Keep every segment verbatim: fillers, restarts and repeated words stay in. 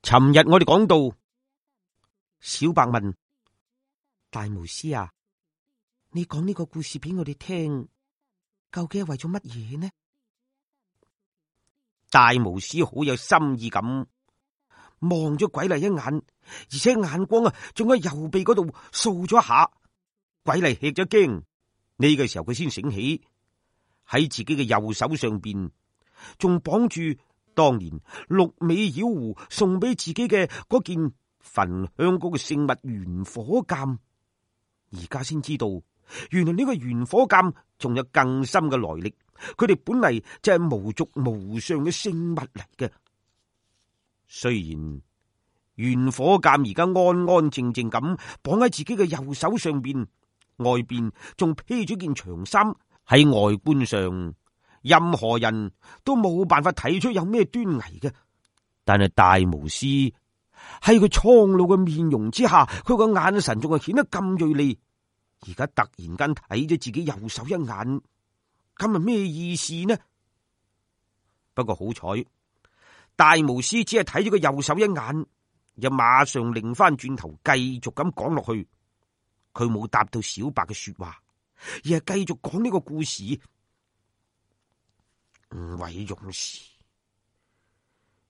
尋日我哋講到，小白問大巫師啊，你講呢個故事俾我哋聽，究竟係為咗乜嘢呢？大巫師好有心意咁望咗鬼麗一眼，而且眼光啊，仲喺右臂嗰度掃咗一下。鬼麗吃咗驚，呢個時候佢先醒起，喺自己嘅右手上邊仲綁住當年六尾妖狐送俾自己嘅嗰件焚香嗰個聖物玄火鑑，而家先知道，原來呢個玄火鑑仲有更深嘅來歷，佢哋本嚟就係無族無上嘅聖物嚟嘅。雖然玄火鑑而家安安靜靜咁綁喺自己嘅右手上邊，外邊仲披咗件長衫，喺外觀上任何人都冇辦法睇出有咩端倪嘅，但係大巫師喺佢蒼老嘅面容之下，佢個眼神仲係顯得咁銳利。而家突然間睇咗自己右手一眼，咁係咩意思呢？不過好彩，大巫師只係睇咗個右手一眼，又馬上擰翻轉頭繼續咁講落去。佢冇答到小白嘅說話，而係繼續講呢個故事。五位勇士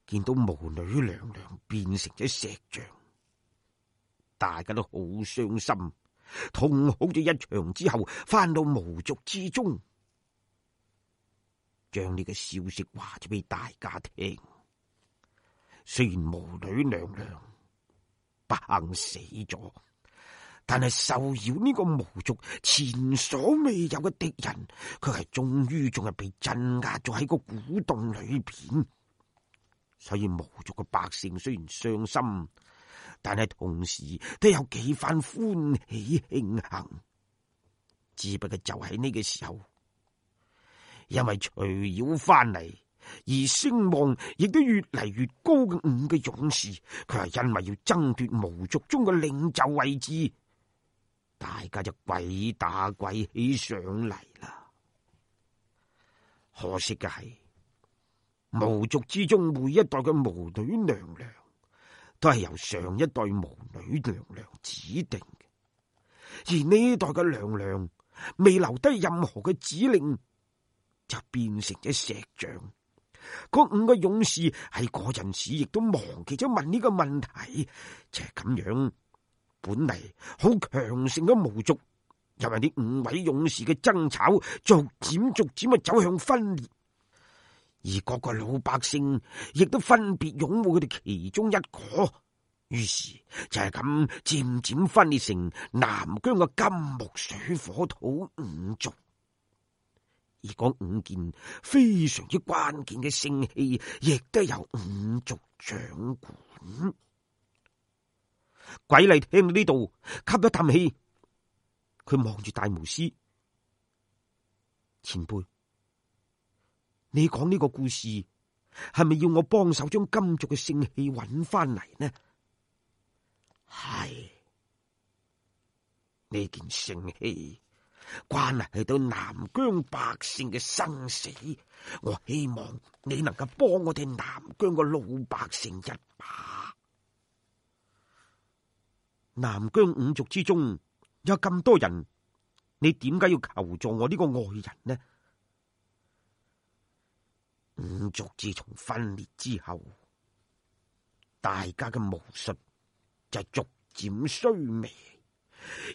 見到巫女娘娘變成咗石像，大家都好傷心，痛哭咗一場之後，翻到巫族之中，將呢個消息話咗俾大家聽。雖然巫女娘娘不幸死咗，但係受擾呢個巫族前所未有嘅敵人，佢係終於仲係被鎮壓咗喺個古洞裏邊。所以巫族嘅百姓雖然傷心，但係同時都有幾番歡喜慶幸。只不過就喺呢個時候，因為徐妖翻嚟而聲望亦都越嚟越高嘅五個勇士，佢係因為要爭奪巫族中嘅領袖位置，大家就鬼打鬼起上嚟啦。可惜嘅係，巫族之中每一代嘅巫女娘娘都係由上一代巫女娘娘指定嘅，而呢一代嘅娘娘未留低任何嘅指令，就變成咗石像。嗰五個勇士喺嗰陣時亦都忘記咗問呢個問題，就係咁樣。本嚟好強盛嘅巫族，因為呢五位勇士嘅爭吵，逐漸逐漸啊走向分裂，而各個老百姓亦都分別擁護佢哋其中一個，於是就係咁漸漸分裂成南疆嘅金木水火土五族。而嗰五件非常之關鍵嘅聖器，亦都由五族掌管。鬼麗聽到呢度，吸咗啖氣，佢望住大巫師，前輩，你講呢個故事係咪要我幫手將金族嘅聖器揾翻嚟呢？係，呢件聖器關係到南疆百姓嘅生死，我希望你能夠幫我哋南疆嘅老百姓一把。南疆五族之中有咁多人，你點解要求助我呢個外人呢？五族自從分裂之後，大家嘅巫術就逐漸衰微，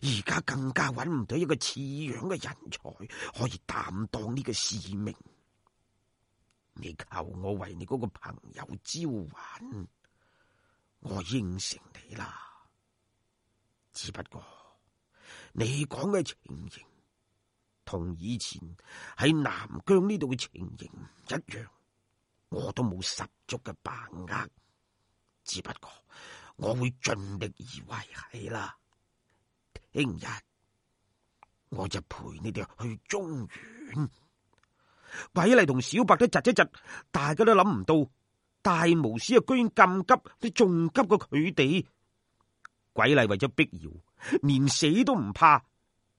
而家更加揾唔到一個似樣嘅人才可以擔當呢個使命。你求我為你嗰個朋友招喚，我應承你啦。只不過你講嘅情形同以前喺南疆呢度嘅情形唔一樣，我都冇十足嘅把握。只不過我會盡力而為係啦。聽日我就陪你哋去中原。鬼麗同小白都窒一窒，大家都諗唔到大巫師啊，居然咁急，都仲急過佢哋。鬼麗為咗碧瑤，連死都唔怕，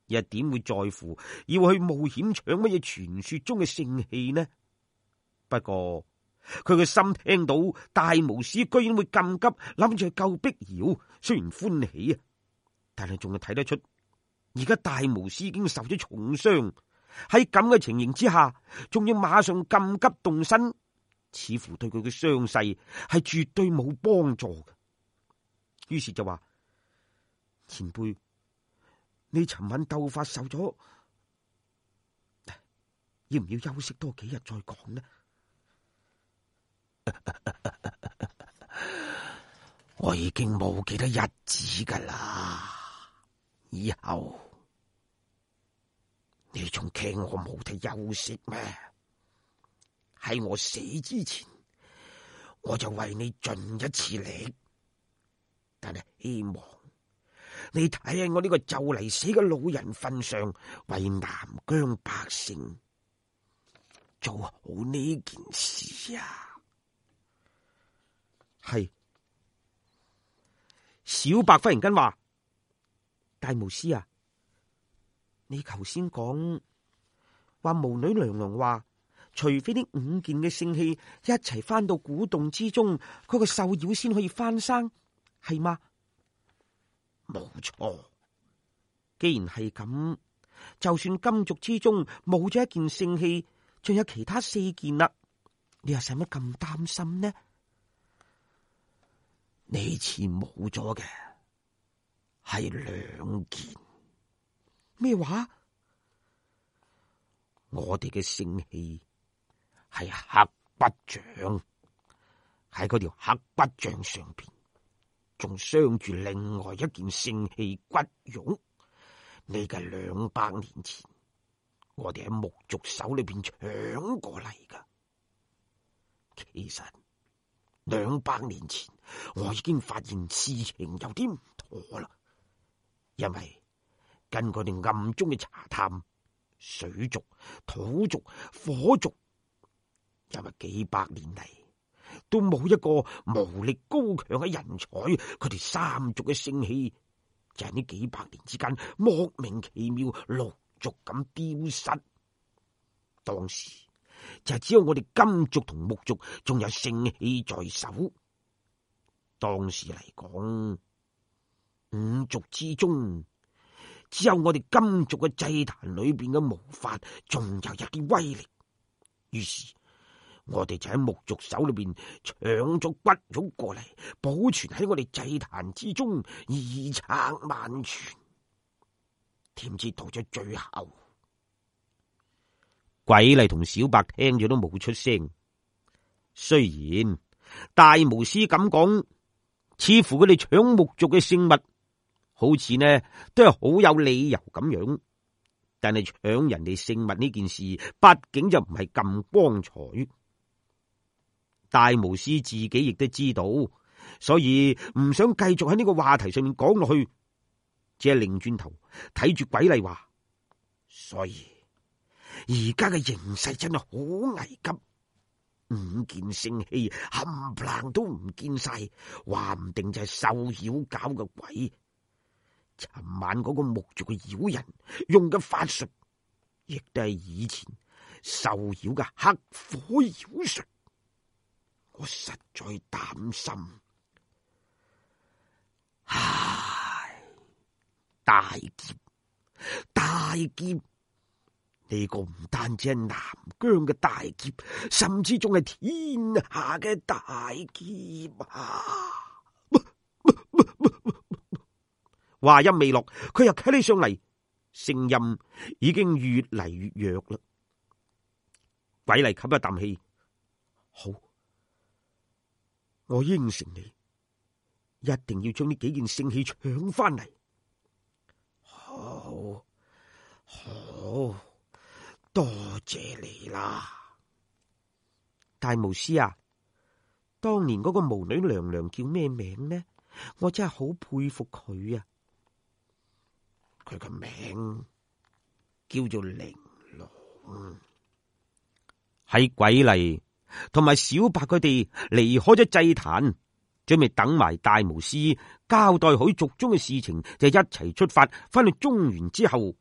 又點會在乎要去冒險搶乜嘢傳說中嘅聖器呢？不過佢個心聽到大巫師居然會咁急諗住去救碧瑤，雖然歡喜啊，但係仲係睇得出而家大巫師已經受咗重傷，喺咁嘅情形之下，仲要馬上咁急動身，似乎對佢嘅傷勢係絕對冇幫助嘅。於是就話：前輩，你尋晚鬥法受咗，要唔要休息多幾日再講呢？我已經冇幾多日子噶啦，以後你仲驚我冇得休息咩？喺我死之前，我就為你盡一次力，但係希望你睇喺我呢個就嚟死嘅老人份上，為南疆百姓做好呢件事啊！係。小白忽然間話：大巫師啊，你頭先講話巫女娘娘話，除非呢五件嘅聖器一齊翻到古洞之中，嗰個獸妖先可以翻生，係嗎？冇錯。既然係咁，就算金族之中冇咗一件聖器，仲有其他四件啦，你又使乜咁擔心呢？呢次冇咗嘅係兩件。咩話？我哋嘅聖器係黑骨像，喺嗰條黑骨像上邊仲鑲住另外一件聖器骨絨。呢個兩百年前我哋喺木族手裏邊搶過嚟噶。其實兩百年前我已經發現事情有啲唔妥啦，因為根據我哋暗中嘅查探，水族、土族、火族，因為幾百年嚟都冇一個巫力高強嘅人才，佢哋三族嘅聖器就喺呢幾百年之間莫名其妙陸續咁丟失。當時就係只有我哋金族同木族仲有聖器在手。當時嚟講，五族之中只有我哋金族嘅祭壇裏邊嘅毛髮仲有一啲威力。於是我哋就喺木族手裏邊搶咗骨肉過嚟，保存喺我哋祭壇之中，遺產萬傳。點知到咗最後，鬼麗同小白聽咗都冇出聲。雖然大巫師咁講，似乎佢哋搶木族嘅聖物，好似呢都係好有理由咁樣。但係搶人哋聖物呢件事，畢竟就唔係咁光彩。大巫師自己亦都知道，所以唔想繼續喺呢個話題上面講落去，只係擰轉頭睇住鬼麗話：所以而家嘅形勢真係好危急，五件聖器冚唪唥都唔見晒，話唔定就係獸妖搞嘅鬼。尋晚嗰個木族嘅妖人用嘅法術，亦都係以前獸妖嘅黑火妖術。我實在擔心，唉，大劫，大劫！呢個唔單止係南疆嘅大劫，甚至仲係天下嘅大劫啊！話音未落，佢又企起上嚟，聲音已經越嚟越弱啦。鬼嚟吸一啖氣，好，我應承你，一定要將呢幾件聖器搶翻嚟。好，好，多謝你啦，大巫師啊！當年嗰個巫女娘娘叫咩名呢？我真係好佩服佢啊！佢個名叫做玲瓏。喺鬼麗同埋小白佢哋離開咗祭壇，準備等埋大巫師交代好族中嘅事情，就一齊出發翻去中原之後，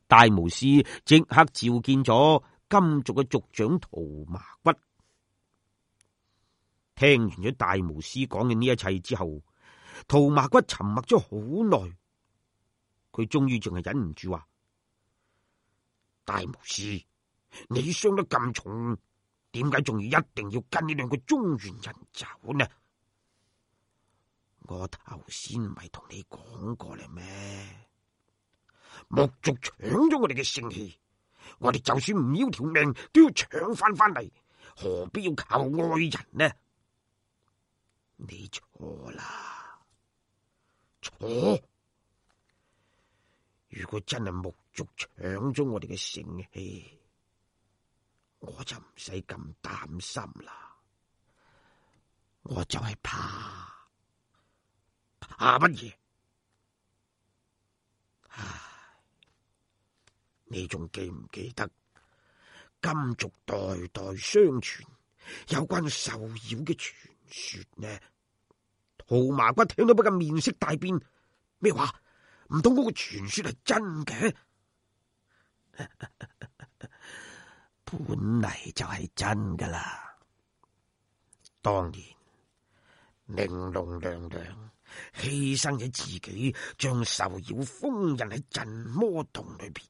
大巫師即刻召見咗金族嘅族長屠麻骨。聽完咗大巫師講嘅呢一切之後，兔麻骨沉默咗好耐，佢終於仲係忍唔住話：大巫師，你傷得咁重，點解仲要一定要跟呢兩個中原人走呢？我頭先唔係同你講過啦咩？木族搶咗我哋嘅聖器，我哋就算唔要條命都要搶翻翻嚟，何必要靠外人呢？你錯啦，錯！如果真係木族搶咗我哋嘅聖器，我就唔使咁擔心啦。我就係怕。怕乜嘢？唉，你仲記唔記得金族代代相傳有關獸妖嘅傳說呢？兔麻骨聽到不禁面色大變，咩話？唔通嗰個傳說係真嘅？本嚟就係真噶啦。當年玲瓏娘娘犧牲咗自己，將獸妖封印喺鎮魔洞裏邊，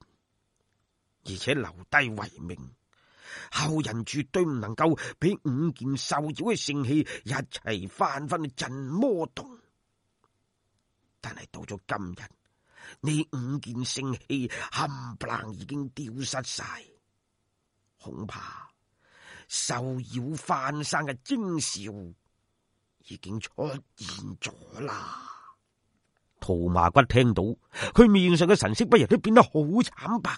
而且留低遺命，後人絕對唔能夠俾五件獸妖嘅聖器一齊翻返去鎮魔洞。但係到咗今日，呢五件聖器冚唪唥已經丟失晒，恐怕獸妖翻生嘅徵兆已經出現咗啦。兔麻骨聽到，佢面上嘅神色不由都變得好慘白。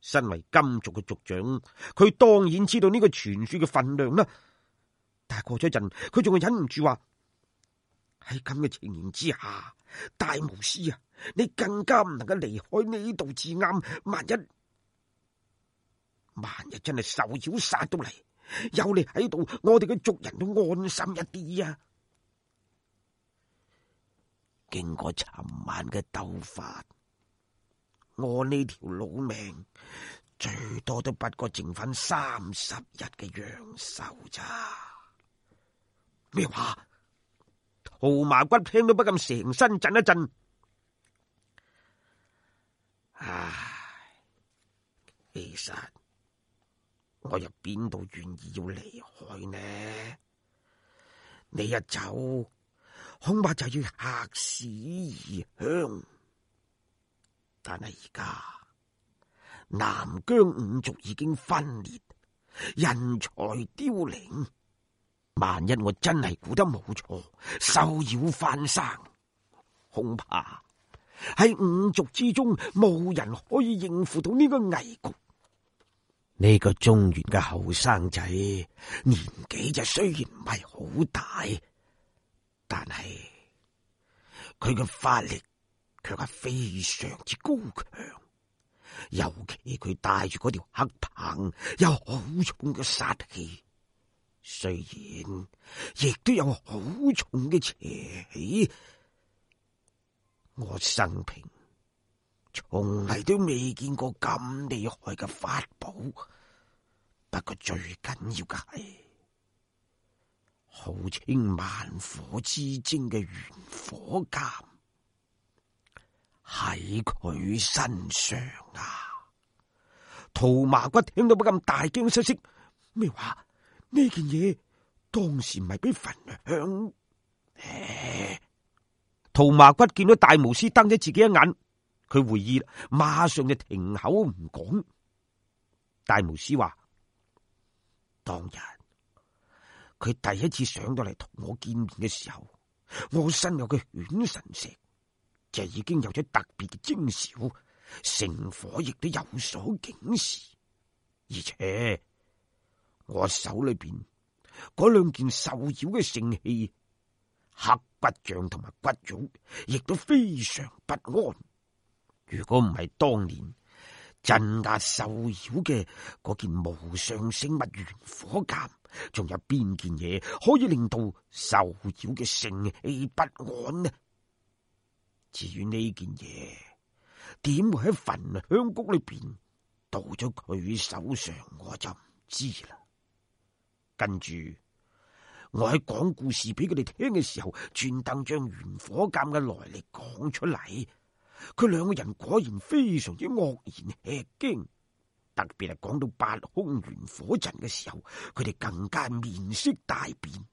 身為金族嘅族長，佢當然知道呢個傳說嘅分量啦。但係過咗一陣，佢仲係忍唔住話：喺咁嘅情形之下，大巫師啊，你更加唔能夠離開呢度至啱。萬一萬一真係獸妖殺到嚟，有你喺度，我哋嘅族人都安心一啲啊！經過尋晚嘅鬥法，我呢條老命最多都不過剩翻三十日嘅陽壽咋？咩話？兔麻骨聽到不禁成身震一震。唉，其實我又邊度願意要離開呢？你一走，恐怕就要客死異鄉。但係而家南疆五族已經分裂，人才凋零。萬一我真係估得冇錯，獸妖翻生，恐怕喺五族之中冇人可以應付到呢個危局。呢個中原嘅後生仔年紀就雖然唔係好大，但係佢嘅法力卻係非常之高強，尤其佢帶住嗰條黑棒，有好重嘅殺氣。雖然亦都有好重嘅邪氣，我生平從嚟都未見過咁厲害嘅法寶。不過最緊要嘅係號稱萬火之精嘅玄火劍喺佢身上啊！兔麻骨聽到不禁大驚失色，咩話？呢件嘢當時唔係俾焚香？兔麻骨見到大巫師瞪咗自己一眼，佢會意啦，馬上就停口唔講。大巫師話：當日佢第一次上到嚟同我見面嘅時候，我身有嘅犬神石就已經有咗特別嘅徵兆，聖火亦都有所警示，而且我手裏邊嗰兩件獸妖嘅聖器黑骨像同埋骨玉，亦都非常不安。如果唔係當年鎮壓獸妖嘅嗰件無上聖物玄火劍，仲有邊件嘢可以令到獸妖嘅聖氣不安呢？至於呢件嘢點會喺焚香谷裏邊到咗佢手上，我就唔知啦。跟住我喺講故事俾佢哋聽嘅時候，專登將玄火鑑嘅來歷講出嚟。佢兩個人果然非常之愕然吃驚，特別係講到八空玄火陣嘅時候，佢哋更加面色大變。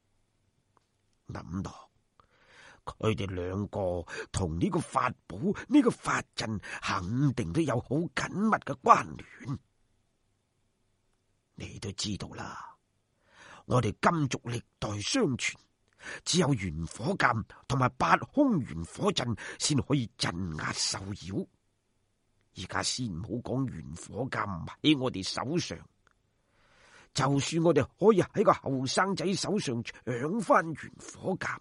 諗落佢哋兩個同呢個法寶、呢、呢個法陣肯定都有好緊密嘅關聯。你都知道啦，我哋金族歷代相傳，只有玄火鑑同埋八空玄火陣先可以鎮壓獸妖。而家先唔好講玄火鑑唔喺我哋手上，就算我哋可以喺個後生仔手上搶翻玄火鑑，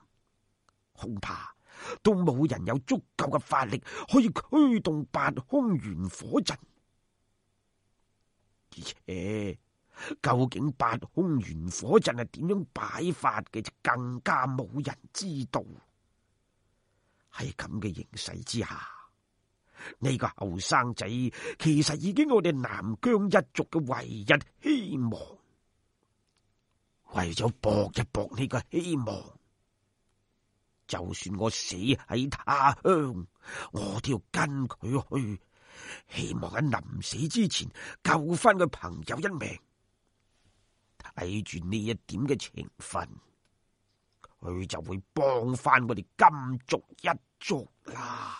恐怕都冇人有足夠嘅法力可以驅動八空玄火陣。而且究竟八空玄火陣係點樣擺法嘅，就更加冇人知道。喺咁嘅形勢之下，呢個後生仔其實已經我哋南疆一族嘅唯一希望。為咗搏一搏呢個希望，就算我死喺他鄉，我都要跟佢去，希望喺臨死之前救翻個朋友一命。睇住呢一點嘅情分，佢就會幫翻我哋金族一族啦。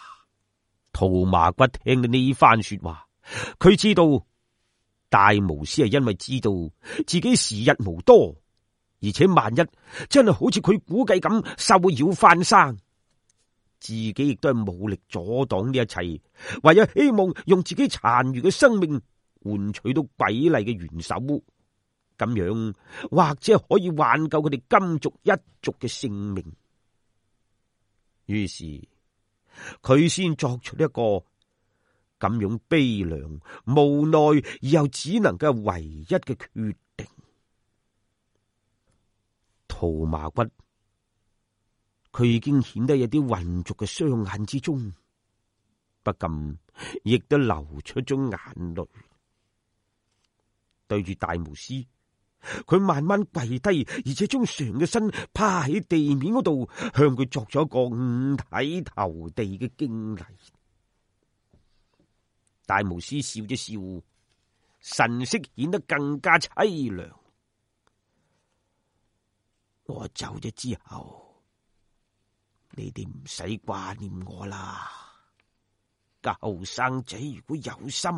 兔麻骨聽到呢番說話，佢知道大巫師係因為知道自己時日無多，而且萬一真係好似佢估計咁獸妖翻生，自己亦都係冇力阻擋呢一切，唯有希望用自己殘餘嘅生命換取到鬼麗嘅元首，咁樣或者可以挽救佢哋金族一族嘅性命。於是佢先作出一個咁樣悲涼、無奈而又只能夠唯一嘅決定。兔麻骨佢已經顯得有啲渾濁嘅雙眼之中，不禁亦都流出咗眼淚。對住大巫師，佢慢慢跪低，而且將成個身趴喺地面嗰度，向佢作咗一個五體投地嘅敬禮。大巫師笑咗笑，神色顯得更加淒涼。我走咗之後，你哋唔使掛念我啦。個後生仔如果有心，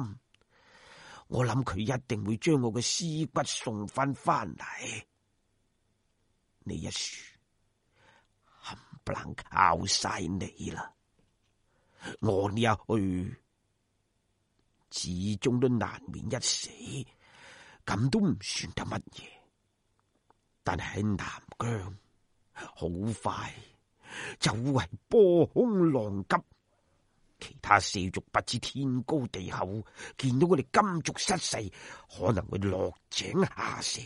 我諗佢一定會將我嘅屍骨送翻翻嚟。呢一樹冚唪唥靠晒你啦！我呢一去，始終都難免一死，咁都唔算得乜嘢。但係喺南疆，好快就會波空浪急。其他四族不知天高地厚，見到我哋金族失勢，可能會落井下石。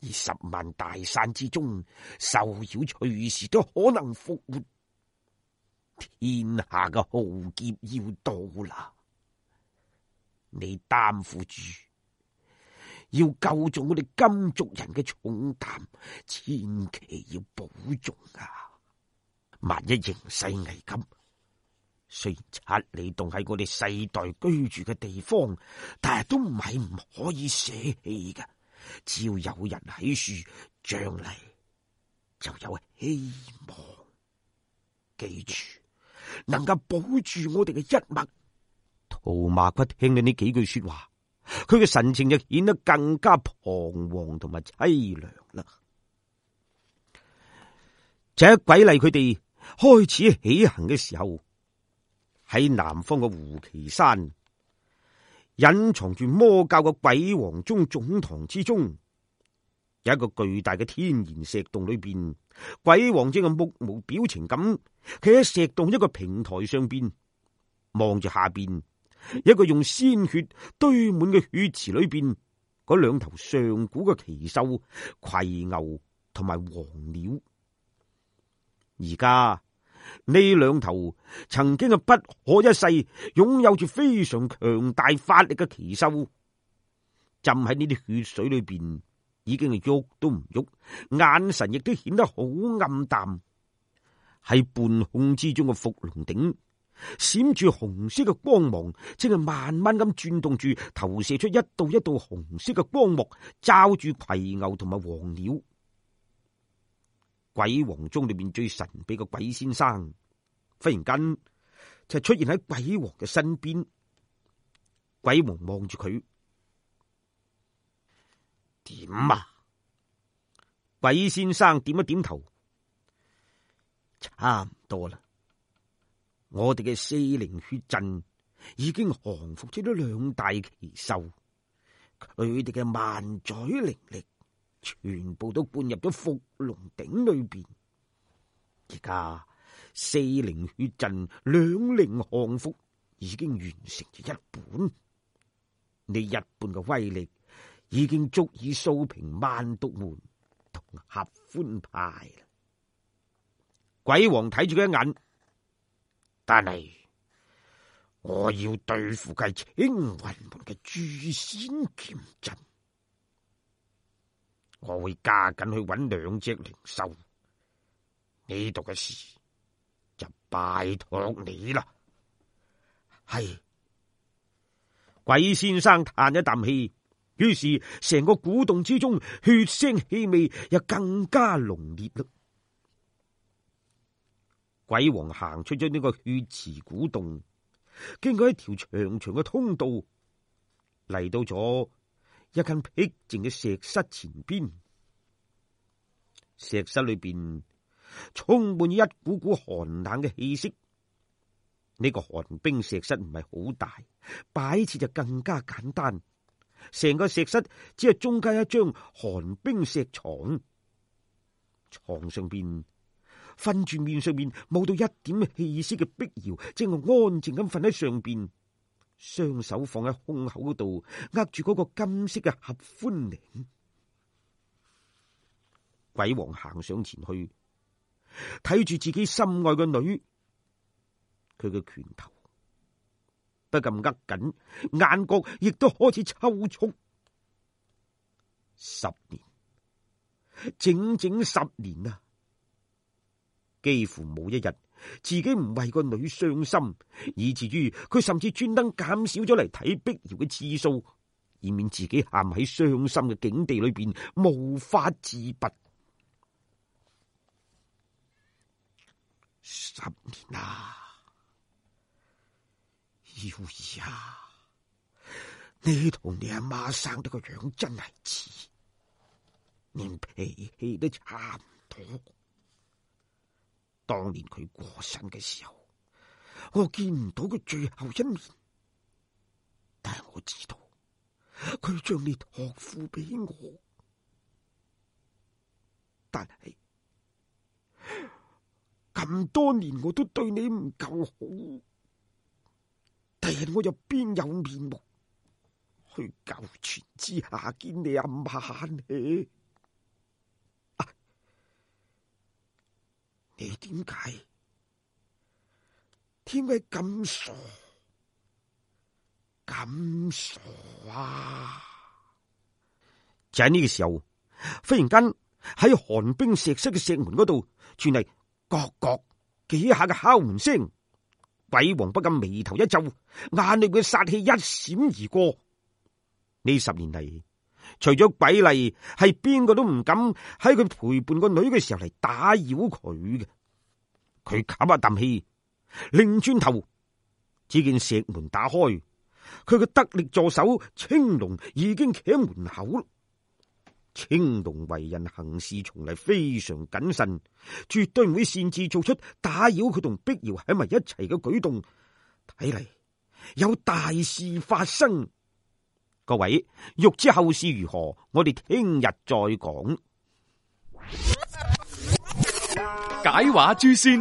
而十萬大山之中，獸妖隨時都可能復活。天下嘅浩劫要到啦，你擔負住要救助我哋金族人嘅重擔，千祈要保重啊！萬一形勢危急，雖然七里洞係我哋世代居住嘅地方，但係都唔係唔可以捨棄嘅。只要有人喺樹，將來就有希望。記住，能夠保住我哋嘅一脈。兔麻骨聽到呢幾句說話，佢嘅神情就顯得更加彷徨同埋淒涼啦。就喺鬼麗佢哋開始起行嘅時候，喺南方嘅胡岐山，隱藏住魔教嘅鬼王宗總堂之中，有一個巨大嘅天然石洞裏邊，鬼王正係目無表情咁企喺石洞一個平台上邊，望住下邊一個用鮮血堆滿嘅血池裏邊嗰兩頭上古嘅奇獸葵牛同埋黃鳥。而家呢兩頭曾經係不可一世、擁有住非常強大法力嘅奇獸，浸喺呢啲血水裏邊，已經係喐都唔喐，眼神亦都顯得好暗淡。喺半空之中嘅伏龍鼎閃住紅色嘅光芒，正係慢慢咁轉動住，投射出一道一道紅色嘅光幕，罩住葵牛同埋黃鳥。鬼王中裏邊最神秘嘅鬼先生，忽然間就出現喺鬼王嘅身邊。鬼王望住佢，點啊？鬼先生點一點頭，差唔多啦。我哋嘅四靈血陣已經降服咗兩大奇獸，佢哋嘅萬載靈力全部都灌入咗伏龍鼎裏邊。而家四靈血陣兩靈降服已經完成咗一半，你一半嘅威力已經足以掃平萬毒門同合歡派啦。鬼王睇住佢一眼，但係我要對付嘅青雲門嘅誅仙劍陣，我會加緊去揾兩隻靈獸。呢度嘅事就拜託你啦。係。鬼先生嘆一啖氣，於是成個古洞之中血腥氣味又更加濃烈啦。鬼王行出咗呢個血池古洞，經過一條長長嘅通道，嚟到咗一間僻靜嘅石室前邊。石室裏邊充滿一股股寒冷嘅氣息。呢個寒冰石室唔係好大，擺設就更加簡單。成個石室只係中間一張寒冰石床，床上邊瞓住面上面冇到一點氣息嘅碧瑤，正係安靜咁瞓喺上邊，雙手放喺胸口嗰度，握住嗰個金色嘅合歡鈴。鬼王行上前去，睇住自己心愛嘅女，佢嘅拳頭不禁握緊，眼角亦都開始抽搐。十年，整整十年啊！幾乎冇一日自己唔為個女傷心，以至於佢甚至專登減少咗嚟睇碧瑤嘅次數，以免自己陷喺傷心嘅境地裏邊無法自拔。十年啊！妖兒啊，你同你阿媽生得個樣真係似，連脾氣都差唔多。當年佢過身嘅時候，我見唔到佢最後一面，但係我知道佢將你託付俾我。但係咁多年我都對你唔夠好，第日我又邊有面目去九泉之下見你阿媽呢？啊，你點解點解咁傻咁傻啊？就喺呢個時候，忽然間喺寒冰石室嘅石門嗰度傳嚟各各幾下嘅敲門聲。鬼王不禁眉頭一皺，眼裏嘅殺氣一閃而過。呢十年嚟，除咗鬼麗，係邊個都唔敢喺佢陪伴個女嘅時候嚟打擾佢嘅。佢吸一啖氣，擰轉頭，只見石門打開，佢嘅得力助手青龍已經企喺門口。青龍為人行事從嚟非常謹慎，絕對唔會擅自做出打擾佢同碧瑤喺埋一齊嘅舉動。睇嚟有大事發生。各位欲知後事如何，我哋聽日再講。解話誅仙，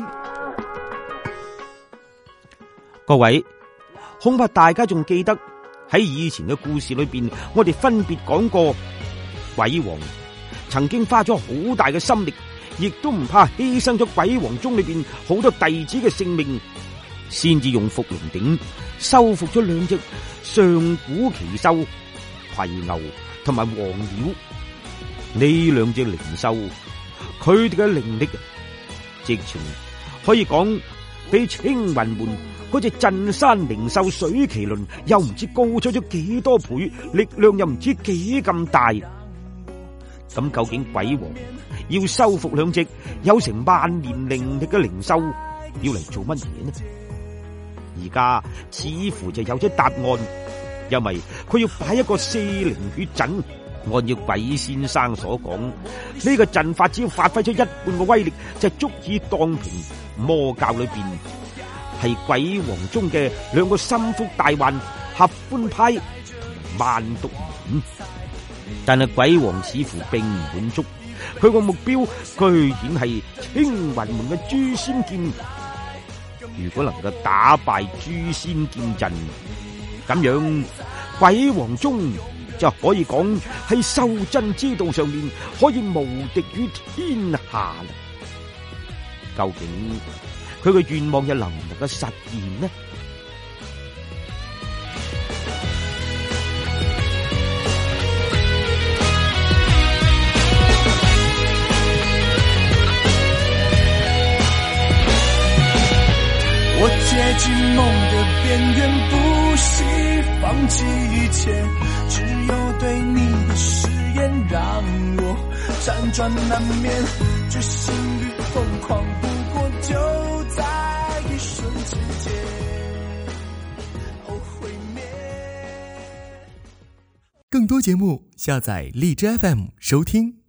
各位恐怕大家仲記得喺以前嘅故事裏邊，我哋分別講過。鬼王曾經花咗好大嘅心力，亦都唔怕犧牲咗鬼王宗裏邊好多弟子嘅性命，先至用伏龍鼎收服咗兩隻上古奇獸葵牛同埋黃鳥。呢兩隻靈獸，佢哋嘅靈力直情可以講比青雲門嗰隻鎮山靈獸水麒麟又唔知高出咗幾多倍，力量又唔知幾咁大。咁究竟鬼王要收復兩隻有成萬年靈力嘅靈獸，要嚟做乜嘢呢？而家似乎就有咗答案，因為佢要擺一個四靈血陣。按照鬼先生所講，呢個陣法只要發揮咗一半嘅威力，就足以蕩平魔教裏邊係鬼王中嘅兩個心腹大患合歡派同萬毒門。但係鬼王似乎並唔滿足，佢個目標居然係青雲門嘅誅仙劍。如果能夠打敗誅仙劍陣，咁樣鬼王宗就可以講喺修真之道上面可以無敵於天下啦。究竟佢嘅願望又能唔能夠實現呢？我接近夢的邊緣，不惜放棄一切，只有對你的誓言讓我輾轉難眠，決心與瘋狂不過就在一瞬之間，哦毀滅。更多節目下載荔枝 F M 收聽。